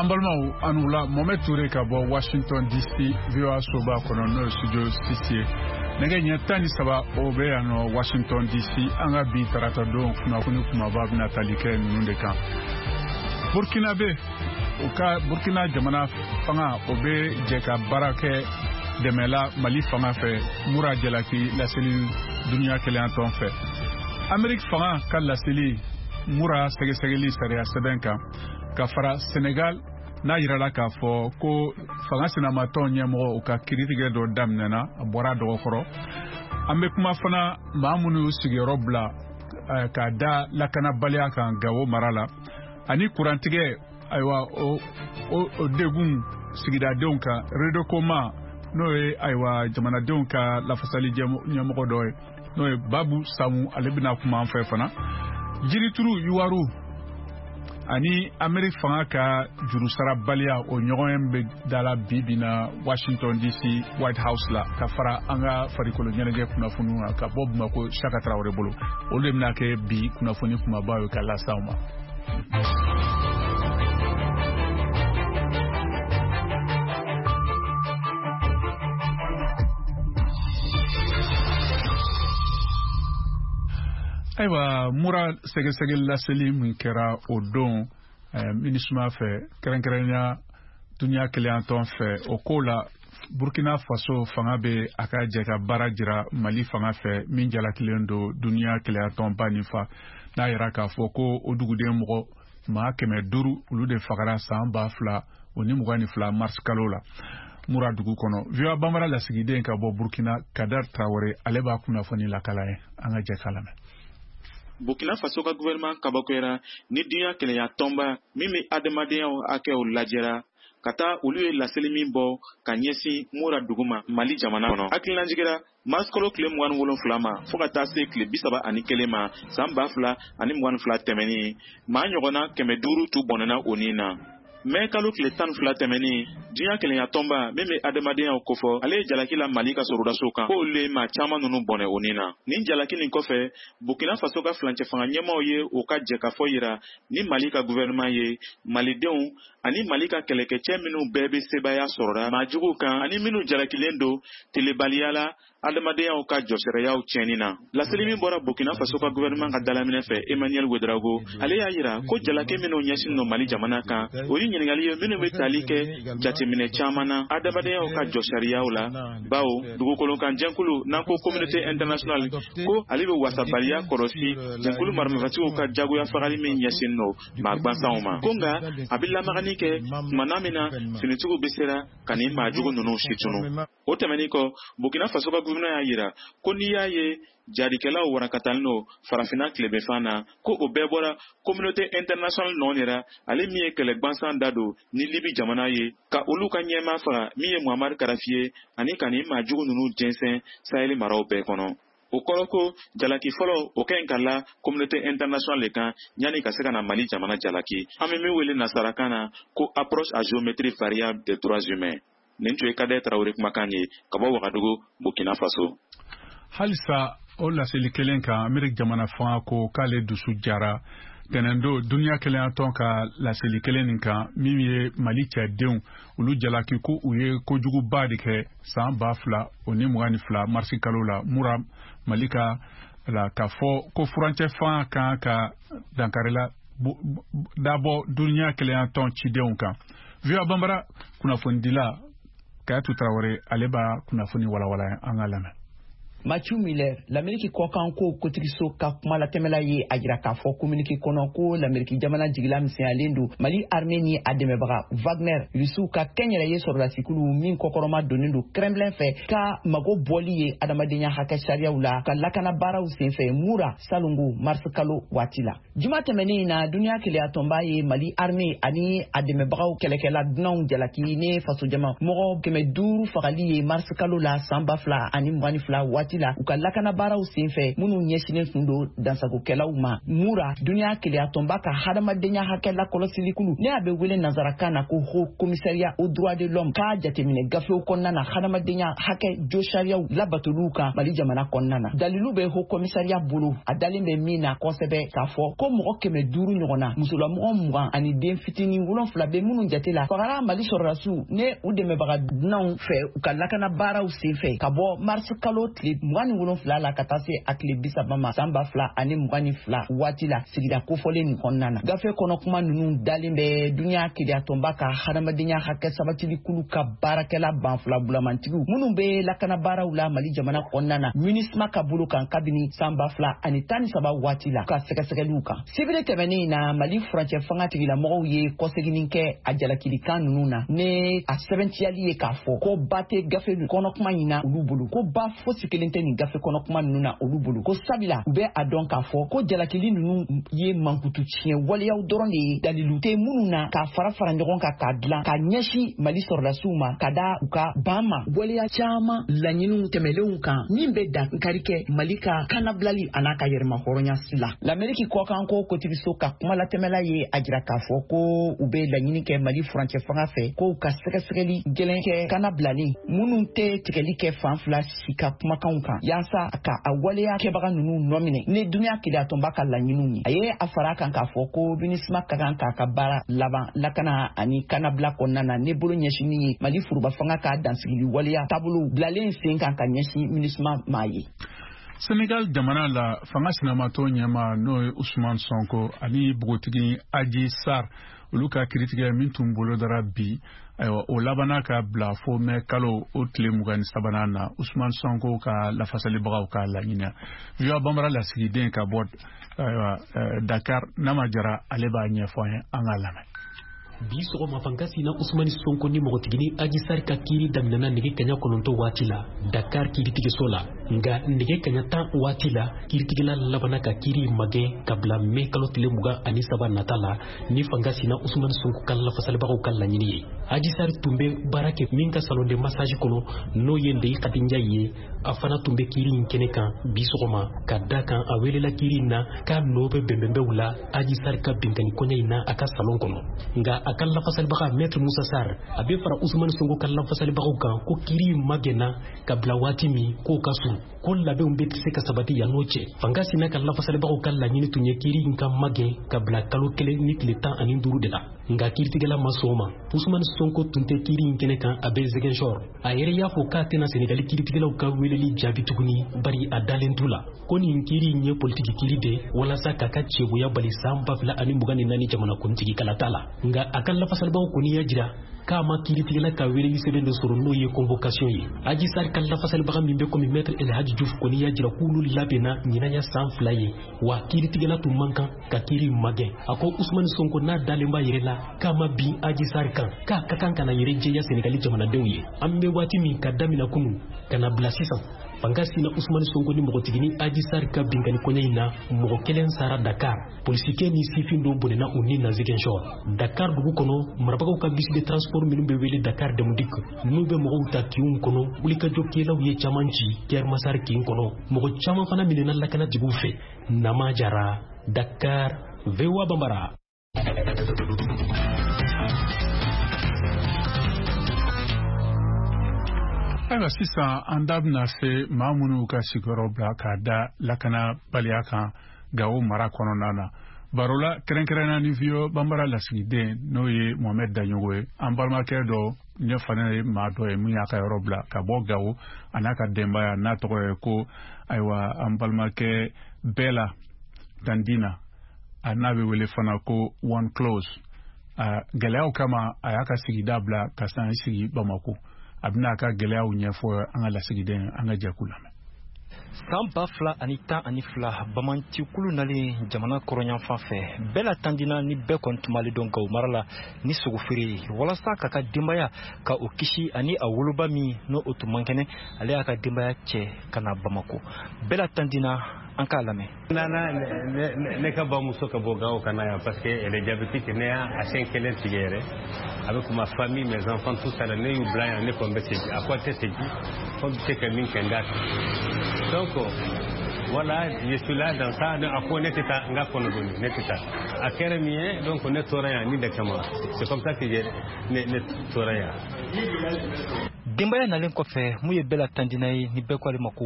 An balimaw, aw ni wula. Mohamed Touré ka bɔ Washington DC, VOA soba kɔnɔ, n'o ye studio 6 ye. Nɛgɛ ɲɛ 13, o bɛ yan nɔ Washington DC. An ka bi tarata don kunnafoni kumaba bɛna tali kɛ ninnu de kan: Burkina bɛ u ka Burkina jamana fanga, o bɛ jɛ ka baara kɛ dɛmɛla Mali fanga fɛ, Mura jalaki laseli duniya kelenyatɔn fɛ. Ameriki fanga ka laseli Mura sɛgɛsɛgɛli sariya sɛbɛn kan, ka fara Senegal n'a yirala k'a fɔ ko fanga sinamatɔn ɲɛmɔgɔ, u ka kiritigɛ dɔ daminɛna, a bɔra dɔgɔkɔrɔ. An bɛ kuma fana maa minnu y'u sigiyɔrɔ bila k'a da lakanabaliya kan Gawo mara la, ani kurantigɛ, ayiwa, o degun sigidadenw kan. Redekoma, n'o ye, ayiwa, jamanadenw ka lafasali ɲɛmɔgɔ dɔ ye, n'o ye Babu Samu, ale bɛna kuma an fɛ fana. Jirituru yuwaru ani Ameriki fanga ka jurusarabaliya, o ɲɔgɔn bɛ dala bi bi na Washington DC White House la, ka fara an ka farikolo ɲɛnajɛ kunnafoniw kan ka bɔ Bamako, Saka Tarawele bolo. Olu de bɛna kɛ bi kunnafoni kumabaw ye ka lase aw ma. Ayiwa, Mura sɛgɛsɛgɛli laseli min kɛra o don MINUSMA fɛ, kɛrɛnkɛrɛnya duniya kelenyatɔn fɛ, o ko la, Burkina Faso fanga bɛ a ka jɛ ka baara jira Mali fanga fɛ min jalakilen don duniya kelenyatɔnba nin fa, n'a yira k'a fɔ ko o duguden mɔgɔ maa 500, olu de fagara san 2022 mars kalo la Mura dugu kɔnɔ. VOA Bambara lasigiden ka bɔ Burkina, Kadar Tarawele, ale b'a kunnafoni lakala ye. An ka jɛ k'a lamɛn. Burkina Faso ka gouvernement kabakoyara ni duniɲa kelenya tɔnba min bɛ adamadenyaw hakɛw lajɛra ka taa olu ye laseli min bɔ ka ɲɛsin Mura dugu ma Mali jamana kɔnɔ. Hakilinajigira mars kalo tile 27 ma fɔɔ ka taa se tile 31 ma san 2022 tɛmɛnin, maa ɲɔgɔnna 500 tun bɔnɛna o nin na. Mɛ kalo tile 12 tɛmɛnin, diɲɛ kelenya tɔnba min bɛ adamadenya kofɔ, ale ye jalaki la Mali ka sɔrɔdasiw kan ko olu ye maa caman ninnu bɔnɛ o nin na. Nin jalaki nin kɔfɛ, Burkina Faso ka filancɛ fanga ɲɛmaaw ye u ka jɛkafɔ yira ni Mali ka gouvernement ye, malidenw ani Mali ka kɛlɛkɛcɛ minnu bɛɛ bɛ sebaaya sɔrɔra maa juguw kan ani minnu jalakilen don telebaliya la adamadenyaw ka jɔsariyaw tiɲɛni na. Laseli min bɔra Burkina Faso ka gouvernement ka dalaminɛ fɛ, Emmanuel Ouedraogo, ale y'a yira ko jalaki minnu ɲɛsin don Mali jamana kan, o ye ɲininkali ye minnu bɛ tali kɛ jateminɛ caman na adamadenyaw ka jɔsariyaw la, bawo dugukolo kan jɛnkulu n'an ko communauté internationale ko ale bɛ wasabaliya kɔlɔsi jɛnkulu maramafɛtigiw ka jagoya fagali min ɲɛsin don maa gwansanw ma, ko nka a bɛ lamagani kɛ tumana min na finitigiw bɛ sera ka nin maa jugu ninnu situnu. O tɛmɛnin kɔ, Burkina Faso ka gouvernement y'a yira ko n'i y'a ye jaadikɛlaw warakatalen don Farafinna tilebinfan na, ko o bɛɛ bɔra communauté internationale nɔ de la, ale min ye kɛlɛ gwansan da don ni Libi jamana ye ka olu ka ɲɛmaa faga min ye Muhammad Kadafi ye, ani ka nin maa jugu ninnu jɛnsɛn Sahel maraw bɛɛ kɔnɔ. O kɔrɔ ko jalaki fɔlɔ, o ka ɲi ka la communauté internationale de kan yanni ka se ka na Mali jamana jalaki, an bɛ min wele nasarakan na ko approche à géométrie variable des droits humains. Nin tun ye Kadɛ Tarawele kumakan ye ka bɔ Wagadugu, Burkina Faso. Halisa o laseli kelen kan, Ameriki jamana fanga ko k'ale dusu jara tɛnɛndo duniya kelenyatɔn ka laseli kelen nin kan min ye Mali cɛdenw olu jalaki ko u ye kojuguba de kɛ san 2022 marisi kalo la Mura, Mali ka la, k'a fɔ ko furancɛ fanga kan ka dankarila dabɔ duniya kelenyatɔn cidenw kan. VOA Bambara kunnafonidila Kayatu Tarawele, ale b'a kunnafoni walawala. An ka lamɛn. Matthew Miller, Lameriki kɔkanko kotigiso ka kuma latɛmɛla ye a jira k'a fɔ communiqué kɔnɔ ko Lameriki jamana jigila misɛnyalen don Mali armée ni a dɛmɛbaga Wagner, Rusiw ka kɛnyɛrɛye sɔrɔdasikulu min kɔkɔrɔma donnen don Kremlin fɛ, ka mago bɔli ye adamadenya hakɛ sariyaw la ka lakana baaraw senfɛ Mura salongo mars kalo waati la. Juma tɛmɛnen in na, duniya keleyatɔnba ye Mali armée ani a dɛmɛbagaw kɛlɛkɛla dunanw jalaki ni fasojama mɔgɔ 500 fagali ye mars kalo la san 2022 waati. waati la, u ka lakanabaaraw senfɛ minnu ɲɛsinnen tun don dansagokɛlaw ma. Mura, duniya keleyatɔnba ka hadamadenya hakɛ lakɔlɔsilikulu, ne a bɛ wele nansarakan na ko Haut Commissariat aux droits de l'homme, k'a jateminɛ gafew kɔnɔna na hadamadenya hakɛ josariyaw labatoliw kan Mali jamana kɔnɔna na. Dalilu bɛ Haut Commissariat bolo, a dalen bɛ min na kosɛbɛ, k'a fɔ ko mɔgɔ 500 ɲɔgɔn na, musolamɔgɔ 20 ani den fitinin 7 bɛ minnu jate la, fagara Mali sɔrɔdasiw ne u dɛmɛbaga dunanw fɛ u ka lakana baaraw senfɛ ka bɔ mars kalo tile 27 la ka taa se a tile 30 ma san 2022 waati la, sigida kofɔlen nin kɔnɔna na. Gafe kɔnɔ kuma ninnu dalen bɛ duniya keleyatɔnba ka hadamadenya hakɛ sabatilikulu ka baarakɛla banfula bulamantigiw minnu bɛ lakana baaraw la Mali jamana kɔnɔna na, MINUSMA ka bolo kan kabini san 2013 waati la, ka sɛgɛsɛgɛliw kan. Sibiri tɛmɛnen in na, Mali furancɛ fanga tigilamɔgɔw ye kɔseginni kɛ a jalakilikan ninnu na, ne a sɛbɛntiyali ye k'a fɔ ko ba tɛ gafe kɔnɔ kuma in na olu bolo, ko ba fosi kelen tɛ nin gafe kɔnɔ kuma ninnu na olu bolo, ko sabula u bɛ a dɔn k'a fɔ ko jalakili ninnu ye mankutu tiɲɛ waleyaw dɔrɔn de ye, dalilu tɛ minnu na k'a fara fara ɲɔgɔn kan k'a dilan ka ɲɛsin Mali sɔrɔdasiw ma ka da u ka ban ma waleya caman laɲiniw tɛmɛlenw kan min bɛ dankari kɛ Mali ka kanabilali an'a ka yɛrɛmahɔrɔnya la. Lameriki kɔkanko kotigiso ka kumalatɛmɛla ye a jira k'a fɔ ko u bɛ laɲini kɛ Mali furancɛ fanga fɛ k'u ka sɛgɛsɛgɛli gɛlɛn kɛ kanabilalen minnu tɛ tigɛli kɛ fan fila si ka kumakanw kan, yaasa ka a waleya kɛbaga ninnu nɔminɛ ni duniya keleyatɔnba ka laɲiniw ye. A ye a fara kan k'a fɔ ko MINUSMA ka kan k'a ka baara laban lakana ani kanabila kɔnɔna na, ne bolo ɲɛsinni ye Mali foroba fanga ka dansigili waleya taabolo bilalen sen kan ka ɲɛsin MINUSMA ma ye. Senegal jamana la, fanga sinamatɔ ɲɛma n'o ye Ousmane Sonko ani bogotigi Adji Sarr, olu ka kiritigɛ min tun bolo dara bi, ayiwa, o labanna ka bila fo mɛ kalo o tile 23nan na, Ousmane Sonko ka lafasalibagaw ka laɲini. VOA Bambara lasigiden ka bɔ, ayiwa, Dakar, Nama Jara, ale b'a ɲɛfɔ an ye, an k'a lamɛn. Bi sɔgɔma, fanga sina Usumani Sonko ni mɔgɔtigini Adji Sarr ka kiiri daminɛna nɛgɛ kaɲa 9 waati la Dakar kiiritigɛso la. Nka nɛgɛ kaɲa 10 waati la, kiiritigɛla labanna ka kiiri magɛn ka bila mɛ kalo tile 23 nata la, ni fanga sina Usumani Sonko ka lafasalibagaw ka laɲini ye. Adji Sarr tun bɛ baara kɛ min ka salon de massage kɔnɔ, n'o ye Ndeye Khady Ndiaye ye, a fana tun bɛ kiiri in kɛnɛ kan bi sɔgɔma, ka da kan a welela kiiri in na k'a nɔ bɛ bɛnbɛnbɛw la Adji Sarr ka binkani kɔɲɛ in na a ka salon kɔnɔ. Nka a ka lafasalibaga Maître Moussa Sarr, a bɛ fara Ousmane Sonko ka lafasalibagaw kan ko kiiri in magɛnna ka bila waati min k'o ka surun, ko labɛnw bɛ se ka sabati yan n'o cɛ. Fanga sina ka lafasalibagaw ka laɲini tun ye kiiri in ka magɛn ka bila kalo 1 ni tile 15 de la, nka kiiritigɛla ma sɔn o ma. Ousmane Sonko tun tɛ kiiri in kɛnɛ kan, a bɛ Ziguinchor. A yɛrɛ y'a fɔ k'a tɛna Senegali kiiritigɛlaw ka weleli jaabi tuguni, bari a dalen t'u la, ko nin kiiri in ye politiki kiiri de walasa k'a ka cɛboya bali san 2024 jamanakuntigi kalata la. Nka a ka lafasalibagaw kɔni y'a jira k'a ma kiiritigɛla ka weleli sɛbɛn dɔ sɔrɔ, n'o ye convocation ye. Adji Sarr ka lafasalibaga min bɛ komi Maître El Hadji Diouf kɔni y'a jira k'olu labɛnna ɲinan ya san 2 ye, wa kiiritigɛla tun man kan ka kiiri magɛn. A ko Ousmane Sonko n'a dalen b'a yɛrɛ la k'a ma bin Adji Sarr kan, k'a ka kan ka na yɛrɛ jɛya Senegali jamanadenw ye. An bɛ waati min ka damina kunu ka na bila sisan, fanga sina Ousmane Sonko ni mɔgɔtigini Adji Sarr ka binkani kɔɲɛ in na, mɔgɔ kelen sara Dakar, polisikɛ ni sifin dɔw bɔnɛna u ni na Ziguinchor. Dakar dugu kɔnɔ, marabagaw ka bus de transport minnu bɛ wele Dakar Dem Dikk, n'u bɛ mɔgɔw ta kinw kɔnɔ, wulikajɔkɛlaw ye caman ci Keur Massar kin kɔnɔ. Mɔgɔ caman fana minɛna lakanatigiw fɛ. Nama Jara, Dakar, VOA Bambara. Ayiwa, sisan an da bɛna se maa minnu ka sigiyɔrɔ bila k'a da lakanabaliya kan Gawo mara kɔnɔna na. Barola kɛrɛnkɛrɛnna ni VOA Bambara lasigiden, n'o ye Mohamɛd Daɲogo ye, an balimakɛ dɔ ne fana ye maa dɔ ye min y'a ka yɔrɔ bila ka bɔ Gawo, a n'a ka denbaya, n'a tɔgɔ ye ko, ayiwa, an balimakɛ Bɛla Dandina, a n'a bɛ wele fana ko One Close. Gɛlɛyaw kama, a y'a ka sigida bila ka san sigi Bamako. A bɛna a ka gɛlɛyaw ɲɛfɔ an ka lasigiden. An ka jɛkulu lamɛn. San 2012, bamantikulu nalen jamana kɔrɔnyanfan fɛ, bɛɛ la tandina ni bɛɛ kɔni tun b'ale dɔn Gawo mara la ni sogofeere ye, walasa k'a ka denbaya ka o kisi ani a woloba min n'o o tun man kɛnɛ. Ale y'a ka denbaya cɛ ka na Bamako. Bɛɛ la tandina, an k'a lamɛn. Nana ne ka bamuso ka bɔ Gawo ka na yan parce que elle est diabétique. Ne y'a a siɲɛ kelen tigɛ yɛrɛ avec ma famille, mes enfants, tout ça là. Ne y'u bila yan, ne ko n bɛ segin. A ko a tɛ segin, fo bɛ se ka min kɛ n k'a kɛ. Donc voilà, je suis là dans ça. A ko ne tɛ taa, n ka kɔnɔ doni, ne tɛ taa. A kɛra min ye, donc ne tora yan ni de kama. C'est comme ça que ne tora yan. Denbaya nalen kɔfɛ, mun ye bɛɛ la tandina ye ni bɛɛ ko ale ma ko